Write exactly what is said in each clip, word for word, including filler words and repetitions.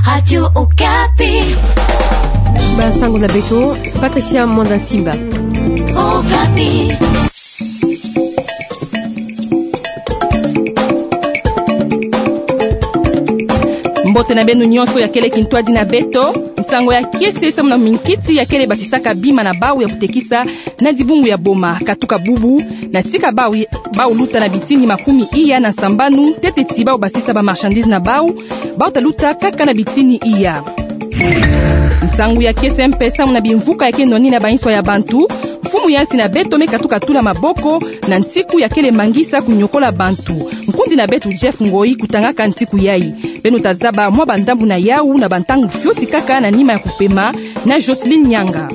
Radio Okapi. Ba sango na beto, Patricia Mwanda Simba. Okapi. Mbote na beno nyonso ya kele kintwadi na beto. Nsango ya kiese samu na minkiti ya kele basisaka bima na bau ya kutekisa na dibungu ya boma. Katuka bubu, na tika bau, bau luta na bitini makumi iya na sambanu, ntete ti bau basisa ba marchandises na bau, bau ta luta kaka na bitini iya. Nsangu ya kiese mpe samu na bimvuka ya ke nwanina banswa ya bantu. Mfumu ya nsi na beto me katuka tula maboko na ntiku ya kele mangisa kunyokola bantu. Nkundi na beto Jeff Ngoi kutangaka ntiku yai. Beno ta zaba mwa bandambu na yau na bantangu fioti kaka na nima ya kupema na Jocelyne Nyanga.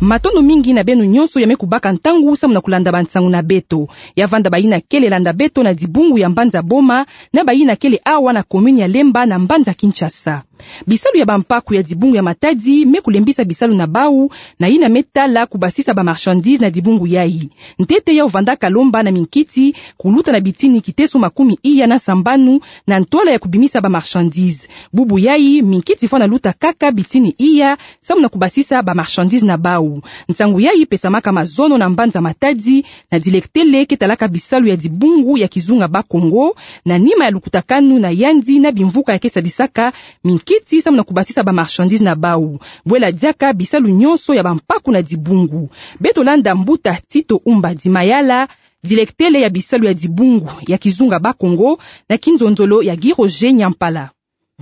Matondo mingi na beno nyonso ya me kubaka ntangu samu na kulanda bansangu na beto. Ya vanda bayina kele landa beto na dibungu ya mbanza Boma, na bayina kele awa na commune ya Lemba na mbanza Kinshasa. Bisalu ya bampaku ya dibungu ya Matadi me kulembisa bisalu na bau, na yina me tala kubasisa ba marchandises na dibungu yai. Ntete yau vandaka lomba na minkiti kuluta na bitini kiteso makumi iya na sambanu na ntwala ya kubimisa ba marchandises. Bubu yai, minkiti fwana luta kaka bitini iya, samu na kubasisa ba marchandises na bau. Nsangu yai pesamaka mazono na mbanza Matadi, na dilektele ke talaka bisalu ya dibungu ya kizunga Bas-Congo, na nima ya lukutakanu na yandi na bimvuka ya ke sadisaka minkiti samu na kubasisa ba marchandises na bau. Bwela diaka bisalu nyonso ya bampaku na dibungu. Beto landa mbuta Tito Umba di Mayala, dilektele ya bisalu ya dibungu ya kizunga Bas-Congo, na kinzonzolo ya Guy Roger Nyampala.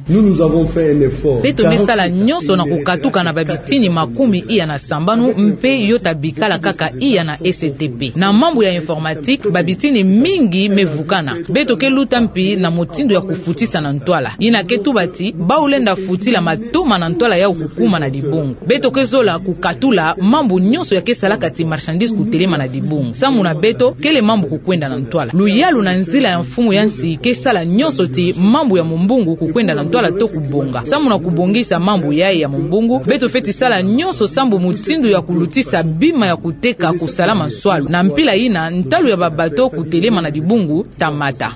Nous, nous avons fait un effort. Beto me sala nyonso na kukatuka na babitini makumi iya na sambanu, mpe yo ta bikala kaka iya na S T P. Na mambu ya informatique, babitini mingi me vukana. Beto ke luta mpi na motindo ya kufutisa na ntwala. Yina ke tuba ti bau lenda futila matoma na ntwala yau kukuma na dibungu. Beto ke zola kukatula mambu nyonso ya ke salaka ti marchandise kutelema na dibungu. Samu na beto, kele mambu kukwenda na ntwala. Luyalu na nzila ya mfumu ya nsi ke sala nyonso ti mambu ya mumbungu kukwenda na ntwala to kubonga. Samu na kubongisa mambu yai ya mumbungu, beto feti sala nyonso sambu motindo ya kulutisa bima ya kuteka kusalama nswalu. Na mpila yina, ntalu ya ba bateau kutelema na dibungu ta mata.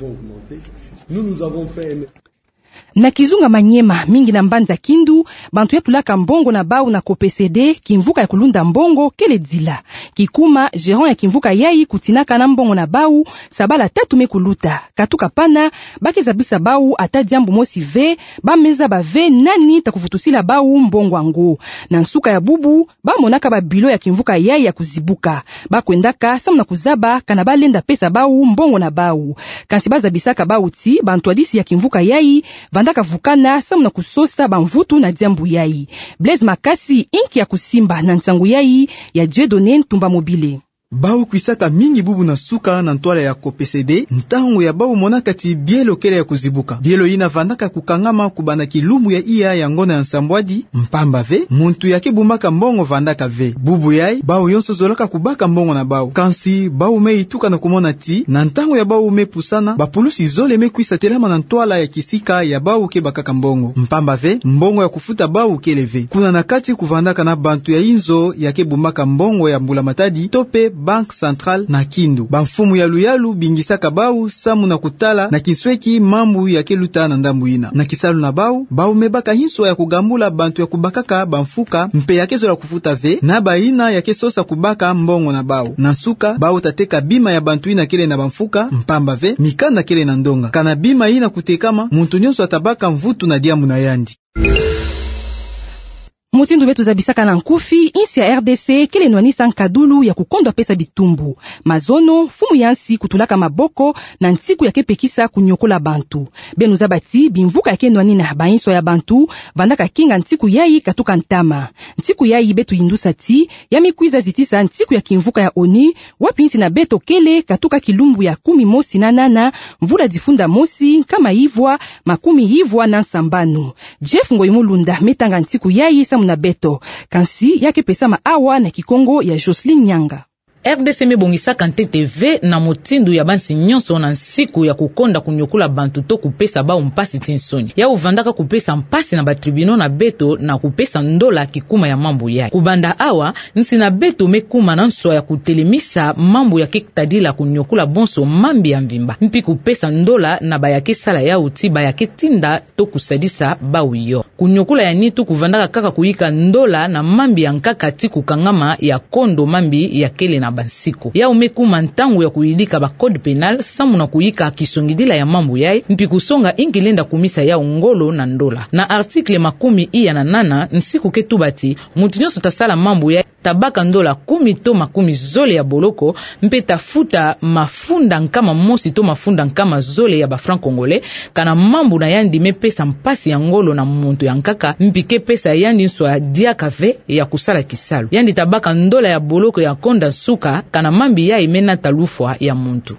Na kizunga Maniema, mingi na mbanza Kindu, bantu ya tulaka mbongo na bau na COPECD, kimvuka ya kulunda mbongo, kele dila. Kikuma, gérant ya kimvuka yai kutinaka na mbongo na bau, sabala tatu me kuluta. Katuka pana, ba ke zabisa bau ata diambu mosi ve, ba me zaba ve nani ta kuvutusila bau mbongo yango. Na nsuka ya bubu, ba monaka ba bilo ya kimvuka yai ya kuzibuka. Ba kwendaka samu na kuzaba kana ba lenda pesa bau mbongo na bau. Kansi ba zabisaka bau ti bantwadisi ya kimvuka yai vandaka vukana samu na kusosa bamvutu na diambu yai. Blaise Makasi, inki ya kusimba na nsangu yai ya Dieudonné Ntumba Mobile. Bau kwisaka mingi bubu na nsuka na ntwala ya COPECD, ntangu ya bau monaka ti bielo kele ya kuzibuka. Bielo yina vandaka kukangama kubanda kilumbu ya iya ya ngonda ya nsambwadi, mpamba ve, muntu ya ke bumbaka mbongo vandaka ve. Bubu yai, bau yonso zolaka kubaka mbongo na bau. Kansi, bau me yituka na kumona ti, na ntangu ya bau me pusana, bapulusi zole me kwisa telama na ntwala ya kisika ya bau ke bakaka mbongo. Mpamba ve, mbongo ya kufuta bau kele ve. Kuna na kati kuvandaka na bantu ya inzo ya ke bumbaka mbongo ya mbula-matadi, to pe Banque Centrale na Kindu. Bamfumu ya luyalu bingisaka bau samu na kutala na kinsweki mambu ya ke luta na ndambu yina. Na kisalu na bau, bau me baka hinswa ya kugambula bantu ya kubakaka bamfuka, mpe ya ke zola kufuta ve, na bayina ya ke sosa kubaka mbongo na bau. Na nsuka, bau ta teka bima ya bantu yina kele na bamfuka, mpamba ve, mikanda kele na ndonga. Kana bima yina kutekama, muntu nyonso ata baka mvutu na diambu na yandi. Mutindu beto zabisaka na nkufi, insi ya R D C kele nwanisa nkadulu ya kukondwa pesa bitumbu. Mazono, mfumu ya nsi kutulaka maboko na ntiku ya ke pekisa kunyokola bantu. Beno zaba ti bimvuka ya ke nwanina banswa ya bantu vandaka kinga ntiku yai katuka ntama. Ntiku yai beto yindusa ti ya me kwiza zitisa ntiku ya kimvuka ya ONU, wapi nsi na beto kele katuka kilumbu ya kumi mosi na nana, mvula difunda mosi, nkama yivwa, makumi yivwa na nsambanu. Jeff Ngoyi Mulunda me tanga ntiku yai samu na beto. Kansi ya ke pesama awa na Kikongo ya Jocelyne Nyanga. R D C me bongisaka ntete ve na mutindu ya bansi nyonso na nsiku ya kukonda kuniokola bantu to kupesa bau mpasi ti nsoni. Yau vandaka kupesa mpasi na ba tribunaux na beto na kupesa ndola kikuma ya mambu yai. Kubanda awa, nsi na beto me kuma na nswa ya kutelemisa mambu ya ke tadila kuniokola bonso mambi ya mvimba, mpi kupesa ndola na ba ya ke sala yau ti ba ya ke tinda to kusadisa bau yo. Kuniokola ya nitu kuvandaka kaka kuyika ndola na mambi ya nkaka ti kukangama ya kondo mambi ya kele na bansiku. Yau me kuma ntangu ya kuyidika ba code pénal samu na kuyika kisongidila ya mambu yai, mpi kusonga inki lenda kumisa yau ngolo na ndola. Na article makumi iya na nana, nsiku ke tuba ti, muntu nyonso ta sala mambu yai, ta baka ndola kumi to makumi zole ya boloko, mpe ta futa mafunda nkama mosi to mafunda nkama zole ya ba francs congolais, kana mambu na yandi me pesa mpasi ya ngolo na muntu ya nkaka, mpi ke pesa yandi nswa diaka ve ya kusala kisalu. Yandi ta baka ndola ya boloko ya konda nsuka, kana mambi yai me nata lufwa ya muntu.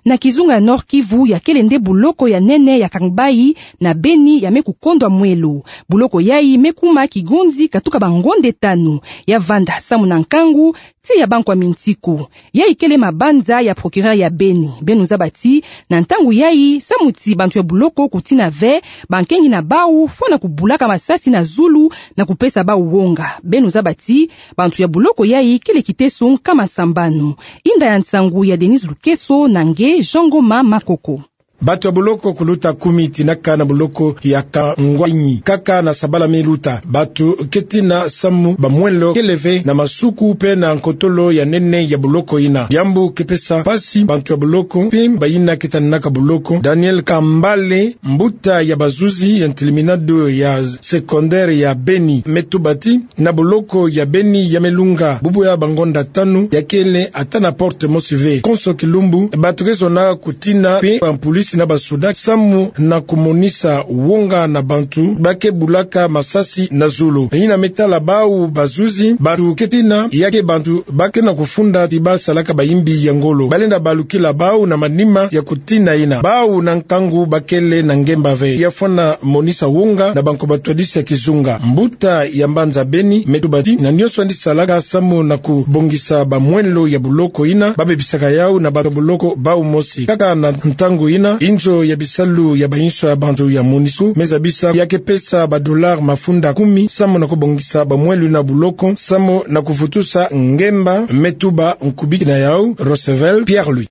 Na kizunga ya Nord-Kivu, ya kele nde boloko ya nene ya Kangbayi na Beni ya me kukondwa mwelo. Boloko yai me kuma kigonzi katuka bangonde tanu. Ya vanda samu na nkangu ti ya bankwa mintiku. Yai kele mabanza ya procureur ya Beni. Beno zaba ti, na ntangu yai, samu ti bantu ya boloko kutina ve, bankengi na bau fwana kubulaka masasi na zulu na kupesa bau wonga. Beno zaba ti, bantu ya boloko yai kele kiteso nkama sambanu. Inda ya nsangu ya Denise Lukeso na nge Jean Ngoma Makoko. Bantu ya boloko kuluta kumi tinaka na boloko ya Kangbayi kaka na sabala me luta. Bantu ke tina samu ba mwelo kele ve na masuku mpe na nkotolo ya nene ya boloko ina. Diambu ke pesa mpasi bantu ya boloko mpe bayina ke tanaka boloko. Daniel Kambale, mbuta ya bazuzi ya ntilminado ya secondaire ya Beni, me tuba ti, na boloko ya Beni ya me lunga bubu ya bangonda tanu, ya kele ata na porte mosi ve. Konso kilumbu, bantu ke zona kutina mpe bampulisi na basoda samu na kumonisa wonga na bantu ba ke bulaka masasi na zulu. Yina me tala bau bazuzi, bantu ke tina, ya ke bantu ba ke na kufunda ti ba salaka bayimbi ya ngolo. Ba lenda balukila bau na manima ya kutina yina. Bau na nkangu ba kele na ngemba ve. Ya fwana monisa wonga na banko batwadisi ya kizunga. Mbuta ya mbanza Beni me tuba ti, na nyonso yandi salaka samu na kubongisa ba mwelo ya boloko ina, ba bebisaka yau na bantu ya boloko bau mosi. Kaka na ntangu ina, inzo ya bisalu ya bainso ya bantu ya MONUSCO me zabisa ya ke pesa ba dollars mafunda kumi samu na kubongisa ba mwelo ina boloko, samu na kuvutusa ngemba, me tuba nkubiki na yau Roosevelt Pierre-Louis.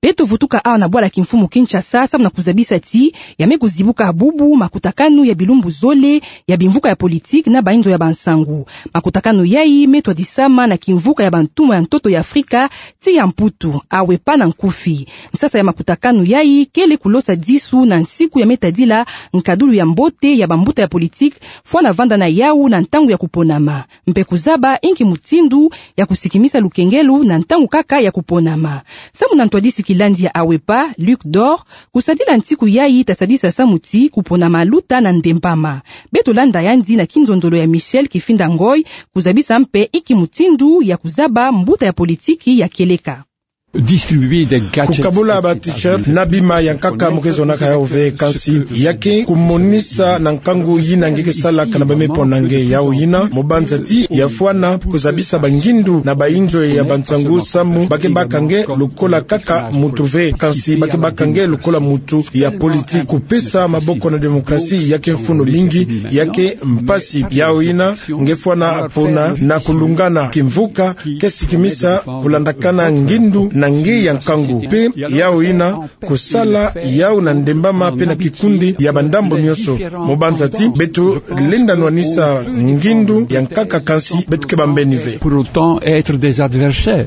Beto vutuka awa na bwala kimfumu Kinshasa, samu na kuzabisa ti ya me kuzibuka bubu makutakanu ya bilumbu zole ya bimvuka ya politiki na bainzo ya bansangu. Makutakanu yai me twadisama na kimvuka ya bantumwa ya ntoto ya Afrika, ti ya Mputu, AWEPA na nkufi. Nsasa ya makutakanu yai kele kulosa disu na nsiku ya me tadila nkadulu ya mbote ya bambuta ya politiki fwana vanda na yau na ntangu ya kuponama, mpe kuzaba inki mutindu ya kusikimisa lukengelo na ntangu kaka ya kuponama. Samu na ntwadisi kilandi ya AWEPA, Luc Dor, kusadila nsiku yai tasadisa samu ti kuponama luta na ndembama. Beto landa yandi na kinzonzolo ya Michel Kifinda Ngoy, kuzabisa mpe inki mutindu ya kuzaba mbuta ya politiki ya kieleka. Kukabula ba t-shirt na bima ya nkaka mu ke zonaka yau ve, kansi ya ke kumonisa na nkangu yina nge ke salaka na ba me pona nge. Yau yina, mu banza ti ya fwana kuzabisa bangindu na bainzo ya bansangu samu ba ke baka nge lokola kaka mutu ve, kansi ba ke baka nge lokola mutu ya politiki. Kupesa maboko na demokrasi ya ke mfunu mingi, ya ke mpasi. Yau yina, nge fwana pona na kulungana. Kimvuka ke sikimisa kulandakana ngindu na nge ya nkangu. Mpe yau yina, kusala yau na ndembama mpe na kikundi ya bandambu nyonso. Mu banza ti beto lenda nwanisa ngindu ya nkaka, kansi beto ke bambeni ve. Pour autant être des adversaires.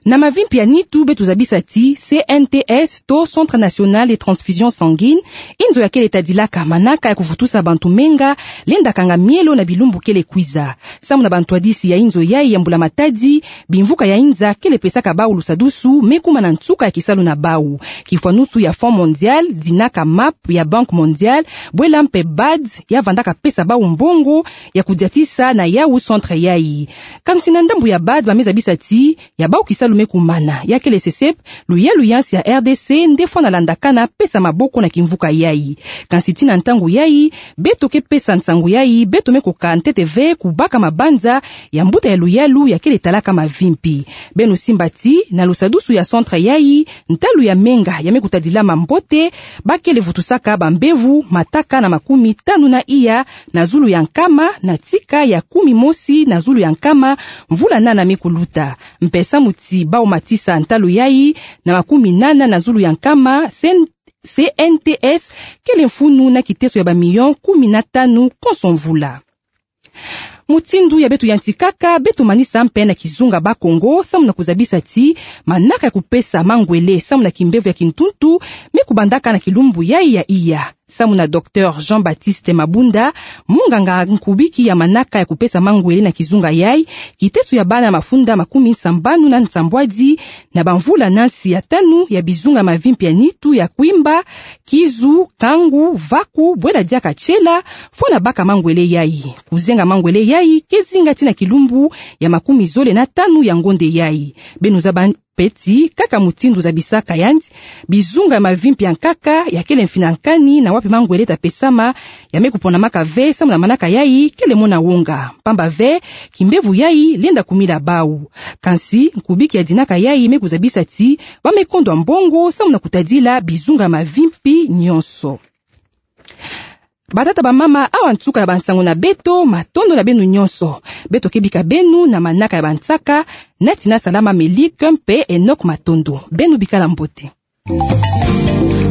Na mavimpi ya nitu, beto zabisa ti C N T S to Centre National de Transfusion Sanguine, inzo ya kele tadilaka manaka ya kuvutusa bantu menga lenda kanga mielo na bilumbu kele kwiza. Samu na bantwadisi ya inzo yai ya mbula matadi, bimvuka ya inza kele pesaka bau lusadusu me kuma na nsuka ya kisalu na bau. Kifwanusu ya Fonds Mondial, dinaka map ya Banque Mondiale, bwela mpe BAD, ya vandaka pesa bau mbongo ya kudiatisa na yau centre yai. Kansi na ndambu ya BAD, ba me zabisa ti ya bau kisalu me kumana. Ya kele SESEP, luyalu ya nsi ya R D C nde fwana landakana pesa maboko na kimvuka yayi. Kansi tii na ntangu yayi, beto ke pesa nsangu yayi, beto me kuka ntete ve kubaka mabanza ya mbuta ya luyalu ya kele talaka mavimpi. Beno simba ti, na lusadusu ya centre yayi, ntalu ya menga ya me kutadilama mbote, ba kele vutusaka bambevo mataka na makumi tanu na iya na zulu ya nkama, na tika ya kumi mosi na zulu ya nkama, mvula nana me kuluta. Mpe samu ti bau matisa ntalu yayi na makumi nana na zulu ya nkama, CN-, C N T S kele mfunu na kiteso ya bamilio kumi na tanu konso mvula. Mutindu ya beto yantikaka, beto manisa mpe na kizunga Bakongo, samu na kuzabisa ti manaka ya kupesa mangwele samu na kimbevo ya kintuntu me kubandaka na kilumbu yayi ya iya. Samu na Docteur Jean-Baptiste Mabunda, munganga nkubiki ya manaka ya kupesa mangwele na kizunga yayi, kiteso ya bana mafunda makumi nsambanu na nsambwadi na bamvula na nsi ya tanu ya bizunga mavimpi ya nitu ya Kwimba, Kizu, Kangu, Vaku, Bwela Diaka, Tshela, fwana baka mangwele yayi. Kuzenga mangwele yayi ke zinga tii na kilumbu ya makumi zole na tanu ya ngonde yayi. Beno zaba mpe ti, kaka mutindu zabisaka yandi, bizunga ya mavimpi ya nkaka ya kele mfinankani na wapi mangwele ta pesama, ya me kuponamaka ve samu na manaka yayi kele mona wonga. Pamba ve, kimbevo yayi lenda kumila bau. Kansi, nkubiki ya dinaka yayi me kuzabisa ti ba me kondwa mbongo samu na kutadila bizunga ya mavimpi nyonso. Batata, bamama, awa nsuka ya bansangu na beto, matondo na beno nyonso. Beto ke bika beno na manaka ya bansaka, nati na Salama Melike mpe Enoch Matondo. Beno bikala mbote.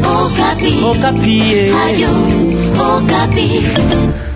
Okapi. Okapi, eh. Radio Okapi.